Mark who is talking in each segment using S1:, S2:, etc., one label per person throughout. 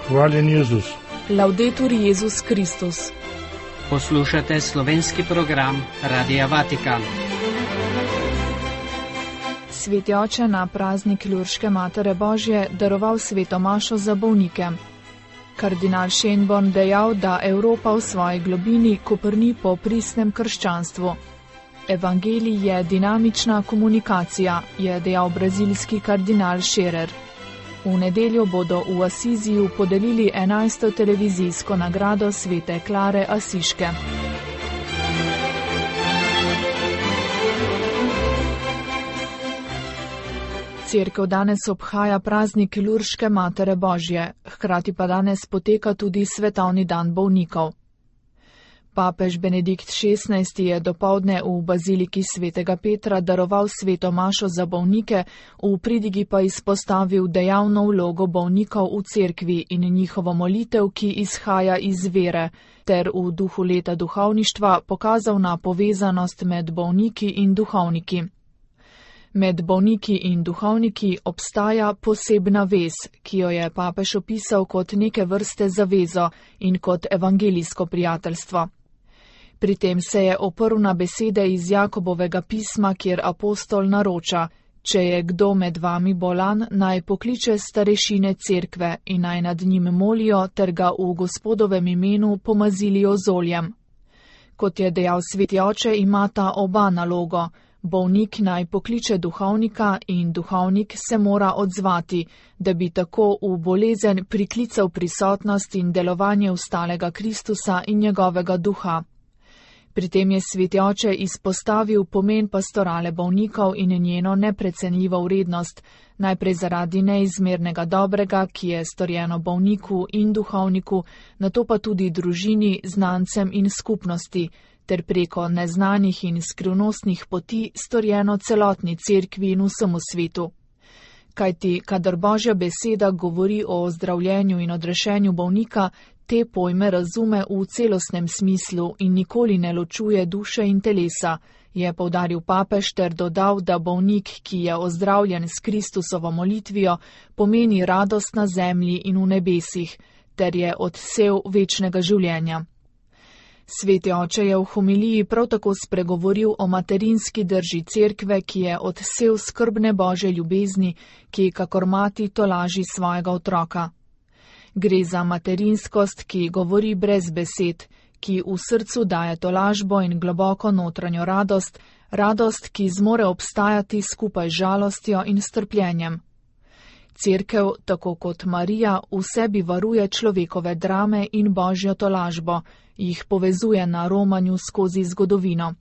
S1: Hvaljen Jezus.
S2: Laudetur Jezus Kristus.
S3: Poslušate slovenski program Radia Vatikan.
S2: Sveti oče na praznik Lurške Matere Božje daroval sveto mašo za bolnike. Kardinal Schönborn dejal, da Evropa v svoji globini koprni po pristnem krščanstvu. Evangelij je dinamična komunikacija, je dejal brazilski kardinal Scherer. V nedeljo bodo v Asiziju podelili 11. televizijsko nagrado svete Klare Asiške. Cerkev danes obhaja praznik Lurške Matere Božje, hkrati pa danes poteka tudi svetovni dan bolnikov. Papež Benedikt XVI je dopoldne v baziliki svetega Petra daroval sveto mašo za bolnike, v pridigi pa izpostavil dejavno vlogo bolnikov v cerkvi in njihovo molitev, ki izhaja iz vere, ter v duhu leta duhovništva pokazal na povezanost med bolniki in duhovniki. Med bolniki in duhovniki obstaja posebna vez, ki jo je papež opisal kot neke vrste zavezo in kot evangelijsko prijateljstvo. Pri tem se je oprl na besede iz Jakobovega pisma, kjer apostol naroča: če je kdo med vami bolan, naj pokliče starešine cerkve in naj nad njim molijo ter ga v Gospodovem imenu pomazilijo z oljem. Kot je dejal sveti oče, imata oba nalogo. Bolnik naj pokliče duhovnika in duhovnik se mora odzvati, da bi tako v bolezen priklical prisotnost in delovanje ustalega Kristusa in njegovega duha. Pri tem je sveti oče izpostavil pomen pastorale bolnikov in njeno neprecenljivo vrednost, najprej zaradi neizmernega dobrega, ki je storjeno bolniku in duhovniku, nato pa tudi družini, znancem in skupnosti, ter preko neznanih in skrivnostnih poti storjeno celotni cerkvi in vsemu svetu. Kajti, kadar Božja beseda govori o ozdravljenju in odrešenju bolnika, te pojme razume v celostnem smislu in nikoli ne ločuje duše in telesa, je poudaril papež ter dodal, da bolnik, ki je ozdravljen s Kristusovo molitvijo, pomeni radost na zemlji in v nebesih, ter je odsev večnega življenja. Sveti oče je v homiliji prav tako spregovoril o materinski drži cerkve, ki je odsev skrbne Božje ljubezni, ki kakor mati tolaži svojega otroka. Gre za materinskost, ki govori brez besed, ki v srcu daje tolažbo in globoko notranjo radost, radost, ki zmore obstajati skupaj z žalostjo in strpljenjem. Cerkev, tako kot Marija, v sebi varuje človekove drame in Božjo tolažbo, jih povezuje na romanju skozi zgodovino.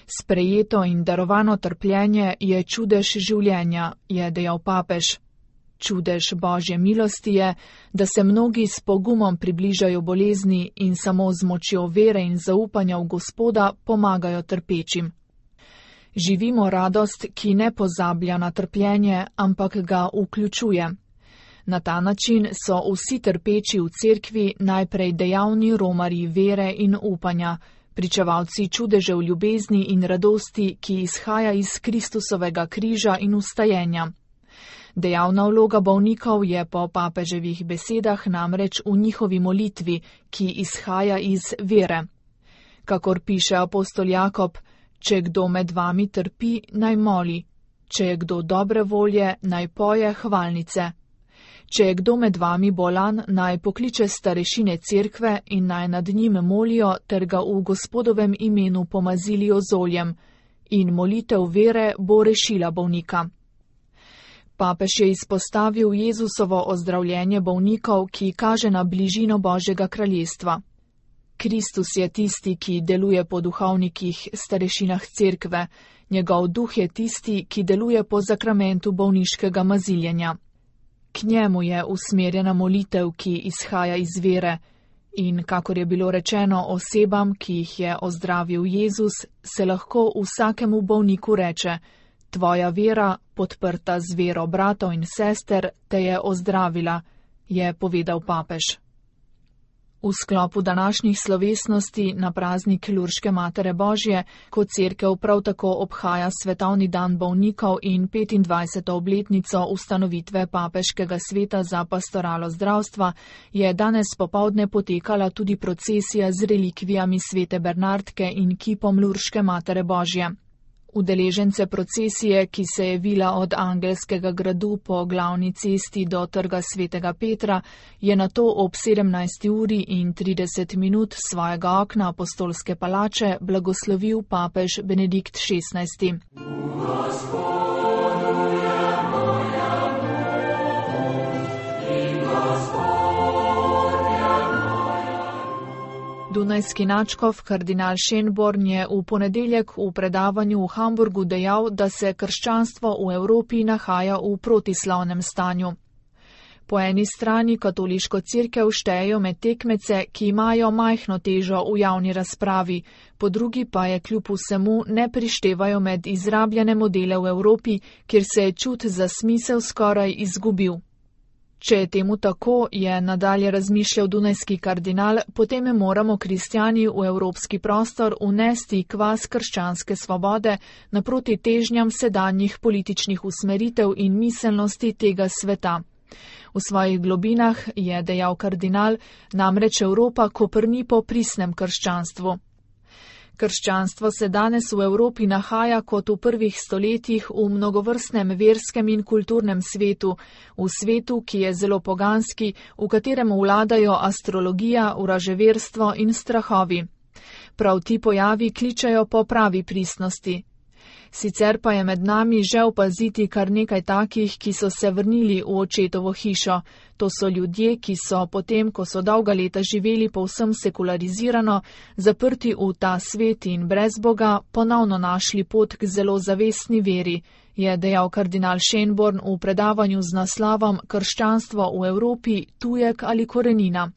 S2: Sprejeto in darovano trpljenje je čudež življenja, je dejal papež. Čudež Božje milosti je, da se mnogi s pogumom približajo bolezni in samo z močjo vere in zaupanja v Gospoda pomagajo trpečim. Živimo radost, ki ne pozablja na trpljenje, ampak ga vključuje. Na ta način so vsi trpeči v cerkvi najprej dejavni romarji vere in upanja, pričevalci čudežev ljubezni in radosti, ki izhaja iz Kristusovega križa in vstajenja. Dejavna vloga bolnikov je po papeževih besedah namreč v njihovi molitvi, ki izhaja iz vere. Kakor piše apostol Jakob: če kdo med vami trpi, naj moli, če je kdo dobre volje, naj poje hvalnice. Če je kdo med vami bolan, naj pokliče starešine cerkve in naj nad njim molijo ter ga v Gospodovem imenu pomazilijo z oljem, in molitev vere bo rešila bolnika. Papež je izpostavil Jezusovo ozdravljenje bolnikov, ki kaže na bližino Božjega kraljestva. Kristus je tisti, ki deluje po duhovnikih, starešinah cerkve, njegov duh je tisti, ki deluje po zakramentu bolniškega maziljenja. K njemu je usmerjena molitev, ki izhaja iz vere, in kakor je bilo rečeno osebam, ki jih je ozdravil Jezus, se lahko vsakemu bolniku reče: tvoja vera, podprta z vero bratov in sester, te je ozdravila, je povedal papež. V sklopu današnjih slovesnosti na praznik Lurške Matere Božje, ko cerkev prav tako obhaja svetovni dan bolnikov in 25. obletnico ustanovitve Papeškega sveta za pastoralo zdravstva, je danes popoldne potekala tudi procesija z relikvijami svete Bernardke in kipom Lurške Matere Božje. Udeležence procesije, ki se je vila od Angelskega gradu po glavni cesti do trga svetega Petra, je nato ob 17:30 svojega okna apostolske palače blagoslovil papež Benedikt XVI. Dunajski nadškof kardinal Schönborn je v ponedeljek v predavanju v Hamburgu dejal, da se krščanstvo v Evropi nahaja v protislovnem stanju. Po eni strani katoliško cerkev štejejo med tekmece, ki imajo majhno težo v javni razpravi, po drugi pa je kljub vsemu ne prištevajo med izrabljene modele v Evropi, kjer se je čut za smisel skoraj izgubil. Če je temu tako, je nadalje razmišljal dunajski kardinal, potem moramo kristjani v evropski prostor unesti kvas krščanske svobode naproti težnjam sedanjih političnih usmeritev in miselnosti tega sveta. V svojih globinah, je dejal kardinal, namreč Evropa koprni po pristnem krščanstvu. Krščanstvo se danes v Evropi nahaja kot v prvih stoletjih v mnogovrstnem verskem in kulturnem svetu, v svetu, ki je zelo poganski, v katerem vladajo astrologija, vraževerstvo in strahovi. Prav ti pojavi kličejo po pravi pristnosti. Sicer pa je med nami že opaziti kar nekaj takih, ki so se vrnili v očetovo hišo. To so ljudje, ki so potem, ko so dolga leta živeli povsem sekularizirano, zaprti v ta svet in brez Boga, ponovno našli pot k zelo zavestni veri, je dejal kardinal Schönborn v predavanju z naslovom Krščanstvo v Evropi, tujek ali korenina.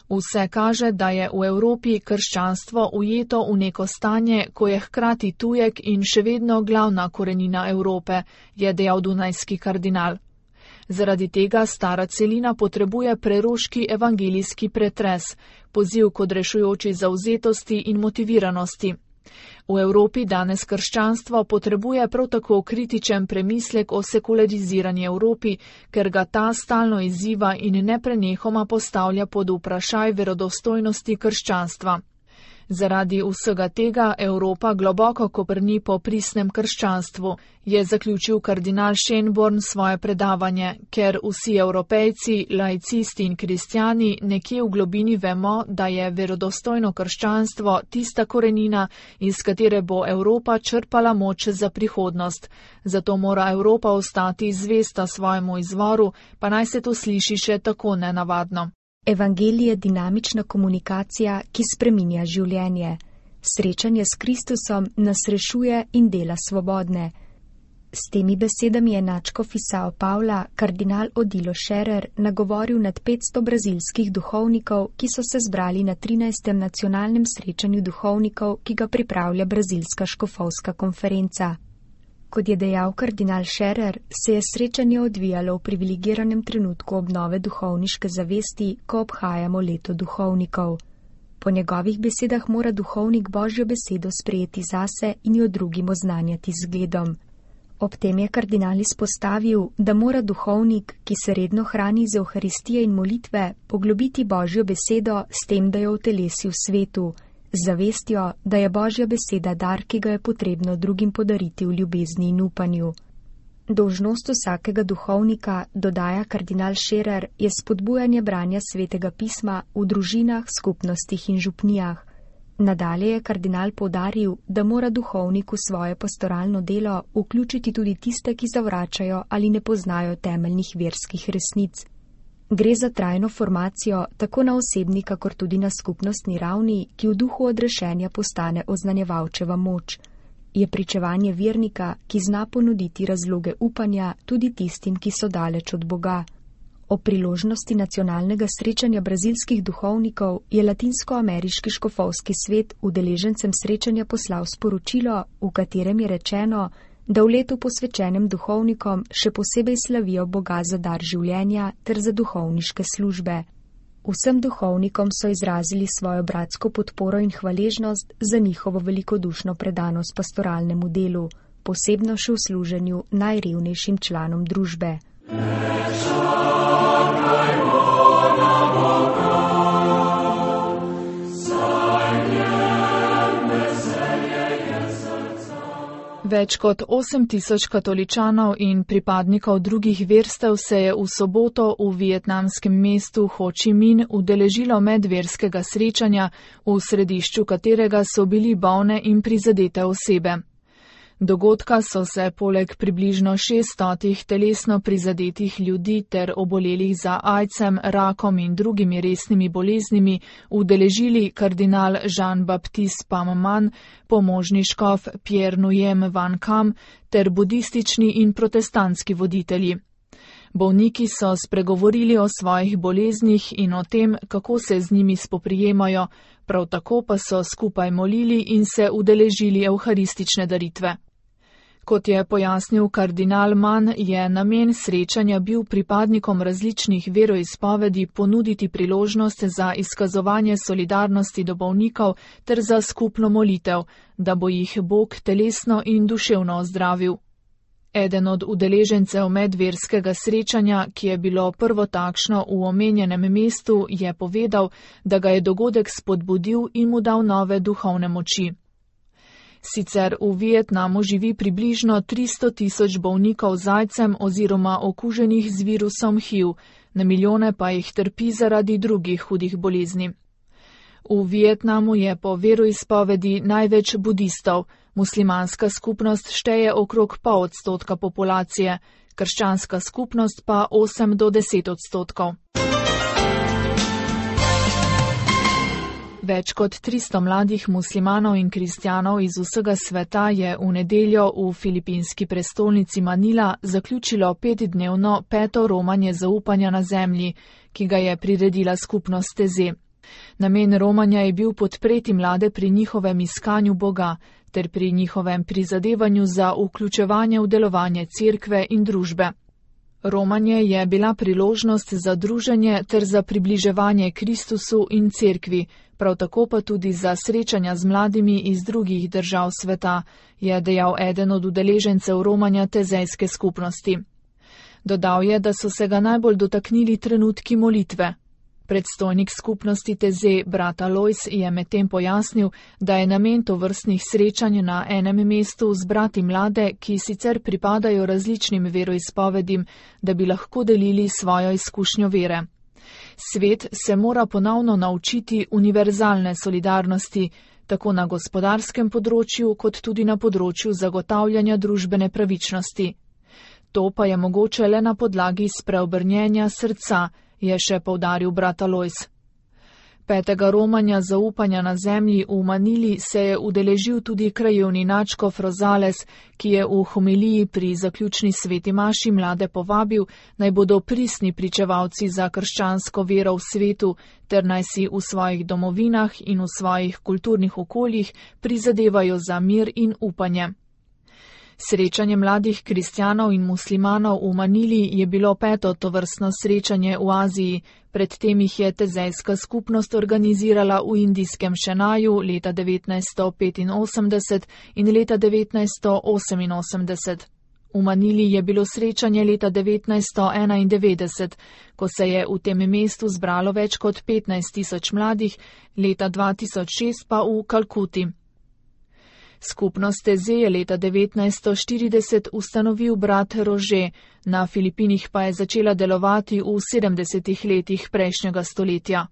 S2: Vse kaže, da je v Evropi krščanstvo ujeto v neko stanje, ko je hkrati tujek in še vedno glavna korenina Evrope, je dejal dunajski kardinal. Zaradi tega stara celina potrebuje preroški evangelijski pretres, poziv k odrešujoči zavzetosti in motiviranosti. V Evropi danes krščanstvo potrebuje prav tako kritičen premislek o sekularizirani Evropi, ker ga ta stalno izziva in neprenehoma postavlja pod vprašaj verodostojnosti krščanstva. Zaradi vsega tega Evropa globoko koprni po pristnem krščanstvu, je zaključil kardinal Schönborn svoje predavanje, ker vsi Evropejci, laicisti in kristjani nekje v globini vemo, da je verodostojno krščanstvo tista korenina, iz katere bo Evropa črpala moč za prihodnost. Zato mora Evropa ostati zvesta svojemu izvoru, pa naj se to sliši še tako nenavadno.
S1: Evangelij je dinamična komunikacija, ki spreminja življenje. Srečanje s Kristusom nas rešuje in dela svobodne. S temi besedami je nadškof iz Sao Paula, kardinal Odilo Scherer, nagovoril nad 500 brazilskih duhovnikov, ki so se zbrali na 13. nacionalnem srečanju duhovnikov, ki ga pripravlja brazilska škofovska konferenca. Kot je dejal kardinal Scherer, se je srečanje odvijalo v privilegiranem trenutku obnove duhovniške zavesti, ko obhajamo leto duhovnikov. Po njegovih besedah mora duhovnik Božjo besedo sprejeti zase in jo drugim oznanjati z zgledom. Ob tem je kardinal izpostavil, da mora duhovnik, ki se redno hrani z Evharistije in molitve, poglobiti Božjo besedo s tem, da jo utelesi v svetu, z zavestjo, da je Božja beseda dar, ki ga je potrebno drugim podariti v ljubezni in upanju. Dolžnost vsakega duhovnika, dodaja kardinal Scherer, je spodbujanje branja svetega pisma v družinah, skupnostih in župnijah. Nadalje je kardinal poudaril, da mora duhovnik v svoje pastoralno delo vključiti tudi tiste, ki zavračajo ali ne poznajo temeljnih verskih resnic. Gre za trajno formacijo tako na osebni, kakor tudi na skupnostni ravni, ki v duhu odrešenja postane oznanjevalčeva moč. Je pričevanje vernika, ki zna ponuditi razloge upanja tudi tistim, ki so daleč od Boga. O priložnosti nacionalnega srečanja brazilskih duhovnikov je Latinsko-ameriški škofovski svet udeležencem srečanja poslal sporočilo, v katerem je rečeno, da v letu posvečenem duhovnikom še posebej slavijo Boga za dar življenja ter za duhovniške službe. Vsem duhovnikom so izrazili svojo bratsko podporo in hvaležnost za njihovo velikodušno predanost pastoralnemu delu, posebno še v služenju najrevnejšim članom družbe.
S2: Več kot 8.000 katoličanov in pripadnikov drugih verstev se je v soboto v vietnamskem mestu Ho Chi Minh udeležilo medverskega srečanja, v središču katerega so bili bolne in prizadete osebe. Dogodka so se poleg približno 600 telesno prizadetih ljudi ter obolelih za aidsom, rakom in drugimi resnimi boleznimi udeležili kardinal Jean-Baptiste Pham Man, pomožni škof Pierre Nguyen Van Kam ter budistični in protestantski voditelji. Bolniki so spregovorili o svojih boleznih in o tem, kako se z njimi spoprijemajo, prav tako pa so skupaj molili in se udeležili evharistične daritve. Kot je pojasnil kardinal Man, je namen srečanja bil pripadnikom različnih veroizpovedi ponuditi priložnost za izkazovanje solidarnosti do bolnikov ter za skupno molitev, da bo jih Bog telesno in duševno ozdravil. Eden od udeležencev medverskega srečanja, ki je bilo prvo takšno v omenjenem mestu, je povedal, da ga je dogodek spodbudil in mu dal nove duhovne moči. Sicer v Vietnamu živi približno 300.000 bolnikov z aidsom oziroma okuženih z virusom HIV, na milijone pa jih trpi zaradi drugih hudih bolezni. V Vietnamu je po veroizpovedi največ budistov, muslimanska skupnost šteje okrog 0,5% populacije, krščanska skupnost pa 8 do 10%. Več kot 300 mladih muslimanov in kristjanov iz vsega sveta je v nedeljo v filipinski prestolnici Manila zaključilo 5-dnevno peto romanje zaupanja na zemlji, ki ga je priredila skupnost Teze. Namen romanja je bil podpreti mlade pri njihovem iskanju Boga ter pri njihovem prizadevanju za vključevanje v delovanje cerkve in družbe. Romanje je bila priložnost za druženje ter za približevanje Kristusu in cerkvi, prav tako pa tudi za srečanja z mladimi iz drugih držav sveta, je dejal eden od udeležencev romanja tezejske skupnosti. Dodal je, da so se ga najbolj dotaknili trenutki molitve. Predstojnik skupnosti Teze, brat Alois, je medtem pojasnil, da je namen tovrstnih srečanj na enem mestu zbrati mlade, ki sicer pripadajo različnim veroizpovedim, da bi lahko delili svojo izkušnjo vere. Svet se mora ponovno naučiti univerzalne solidarnosti, tako na gospodarskem področju, kot tudi na področju zagotavljanja družbene pravičnosti. To pa je mogoče le na podlagi spreobrnjenja srca, je še poudaril brat Alois. Petega romanja zaupanja na zemlji v Manili se je udeležil tudi krajevni nadškof Rosales, ki je v homiliji pri zaključni sveti maši mlade povabil, naj bodo pristni pričevalci za krščansko vero v svetu, ter naj si v svojih domovinah in v svojih kulturnih okoljih prizadevajo za mir in upanje. Srečanje mladih kristjanov in muslimanov v Manili je bilo peto tovrstno srečanje v Aziji, predtem jih je tezejska skupnost organizirala v indijskem Šenaju leta 1985 in leta 1988. V Manili je bilo srečanje leta 1991, ko se je v tem mestu zbralo več kot 15.000 mladih, leta 2006 pa v Kalkuti. Skupnost Teze je leta 1940 ustanovil brat Rože, na Filipinih pa je začela delovati v 70. letih prejšnjega stoletja.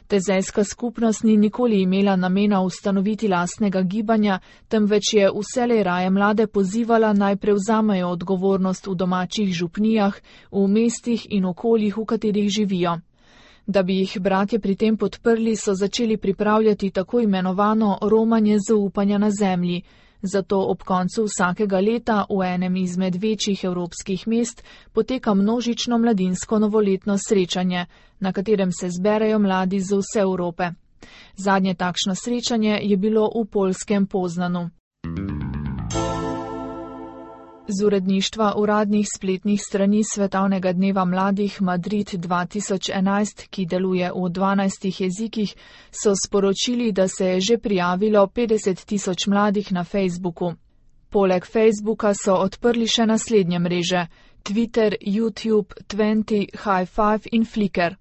S2: Tezejska skupnost ni nikoli imela namena ustanoviti lastnega gibanja, temveč je vselej raje mlade pozivala naj prevzamejo odgovornost v domačih župnijah, v mestih in okoljih, v katerih živijo. Da bi jih bratje pri tem podprli, so začeli pripravljati tako imenovano romanje zaupanja na zemlji. Zato ob koncu vsakega leta v enem izmed večjih evropskih mest poteka množično mladinsko novoletno srečanje, na katerem se zberejo mladi z vse Evrope. Zadnje takšno srečanje je bilo v poljskem Poznanu. Z uredništva uradnih spletnih strani Svetovnega dneva mladih Madrid 2011, ki deluje v 12 jezikih, so sporočili, da se je že prijavilo 50.000 mladih na Facebooku. Poleg Facebooka so odprli še naslednje mreže: Twitter, YouTube, Twenty, High5 in Flickr.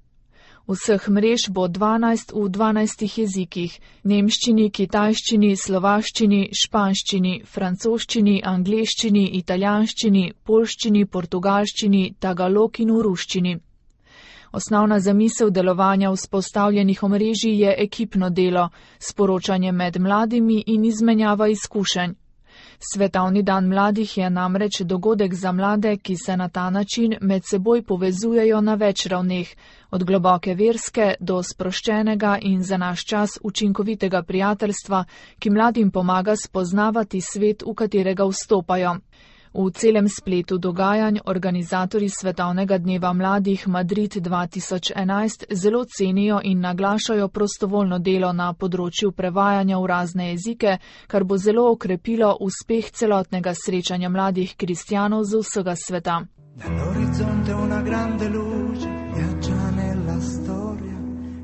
S2: Vseh mrež bo 12 v 12 jezikih: nemščini, kitajščini, slovaščini, španščini, francoščini, angleščini, italijanščini, poljščini, portugalščini, tagalog in v ruščini. Osnovna zamisel delovanja vzpostavljenih omrežij je ekipno delo, sporočanje med mladimi in izmenjava izkušenj. Svetovni dan mladih je namreč dogodek za mlade, ki se na ta način med seboj povezujejo na več ravneh, od globoke verske do sproščenega in za naš čas učinkovitega prijateljstva, ki mladim pomaga spoznavati svet, v katerega vstopajo. V celem spletu dogajanj organizatorji Svetovnega dneva mladih Madrid 2011 zelo cenijo in naglašajo prostovoljno delo na področju prevajanja v razne jezike, kar bo zelo okrepilo uspeh celotnega srečanja mladih kristjanov z vsega sveta.
S4: Dall'orizzonte una grande luce viaggia nella storia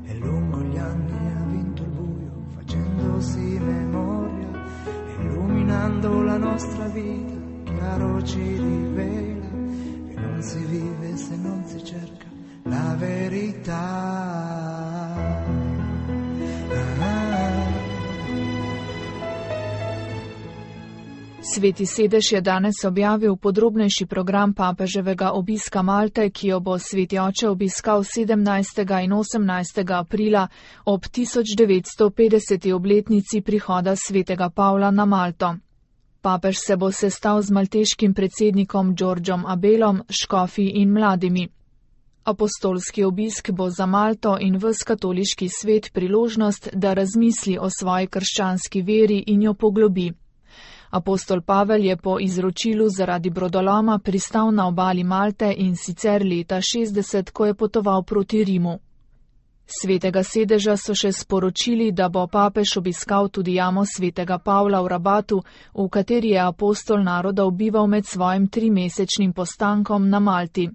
S4: e lungo gli anni ha vinto il buio facendosi memoria illuminando la nostra vita. Chiaro ci rivela che non si vive se non si cerca la verità.
S2: Sveti sedež je danes objavil podrobnejši program papeževega obiska Malte, ki jo bo sveti oče obiskal 17. in 18. aprila ob 1950. obletnici prihoda svetega Pavla na Malto. Papež se bo sestal z malteškim predsednikom Đorđom Abelom, škofi in mladimi. Apostolski obisk bo za Malto in ves katoliški svet priložnost, da razmisli o svoji krščanski veri in jo poglobi. Apostol Pavel je po izročilu zaradi brodoloma pristal na obali Malte in sicer leta 60, ko je potoval proti Rimu. Svetega sedeža so še sporočili, da bo papež obiskal tudi jamo svetega Pavla v Rabatu, v kateri je apostol narodov bival med svojim 3-mesečnim postankom na Malti.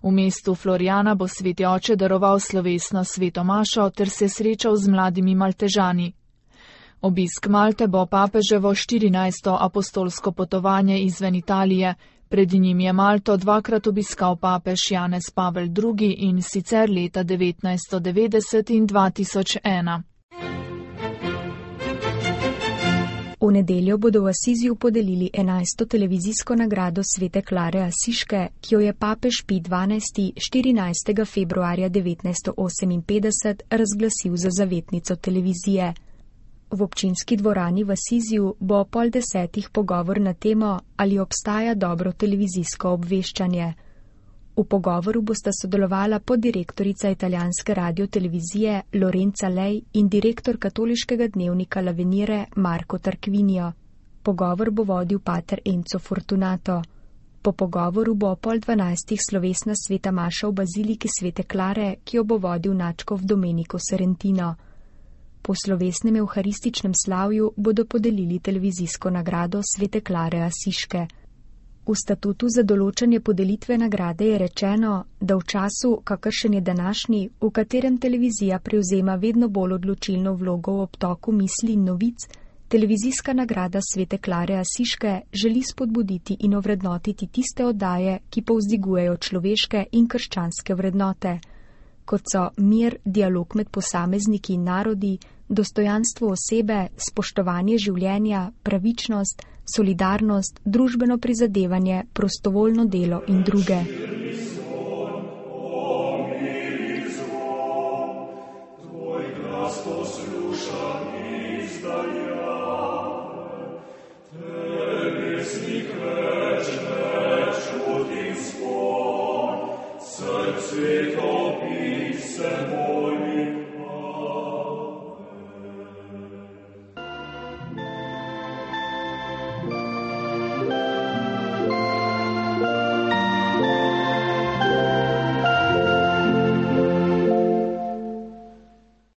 S2: V mestu Floriana bo sveti oče daroval slovesno sveto mašo ter se srečal z mladimi Maltežani. Obisk Malte bo papeževo 14. apostolsko potovanje izven Italije. Pred njim je Malto 2-krat obiskal papež Janez Pavel II in sicer leta 1990 in 2001.
S1: V nedeljo bodo v Asiziju podelili 11. televizijsko nagrado svete Klare Asiške, ki jo je papež Pij XII. 14. februarja 1958 razglasil za zavetnico televizije. V občinski dvorani v Asiziju bo ob 9:30 pogovor na temo, ali obstaja dobro televizijsko obveščanje. V pogovoru bosta sodelovala poddirektorica italijanske radiotelevizije Lorenza Lej in direktor katoliškega dnevnika L'Avvenire Marco Tarquinio. Pogovor bo vodil pater Enzo Fortunato. Po pogovoru bo ob 11:30 slovesna sveta maša v baziliki svete Klare, ki jo bo vodil nadškof Domenico Serentino. Po slovesnem evharističnem slavju bodo podelili televizijsko nagrado svete Klare Asiške. V statutu za določanje podelitve nagrade je rečeno, da v času, kakršen je današnji, v katerem televizija prevzema vedno bolj odločilno vlogo v obtoku misli in novic, televizijska nagrada svete Klare Asiške želi spodbuditi in ovrednotiti tiste oddaje, ki povzdigujejo človeške in krščanske vrednote, kot so mir, dialog med posamezniki in narodi, dostojanstvo osebe, spoštovanje življenja, pravičnost, solidarnost, družbeno prizadevanje, prostovoljno delo in druge.
S4: Srce topi se moj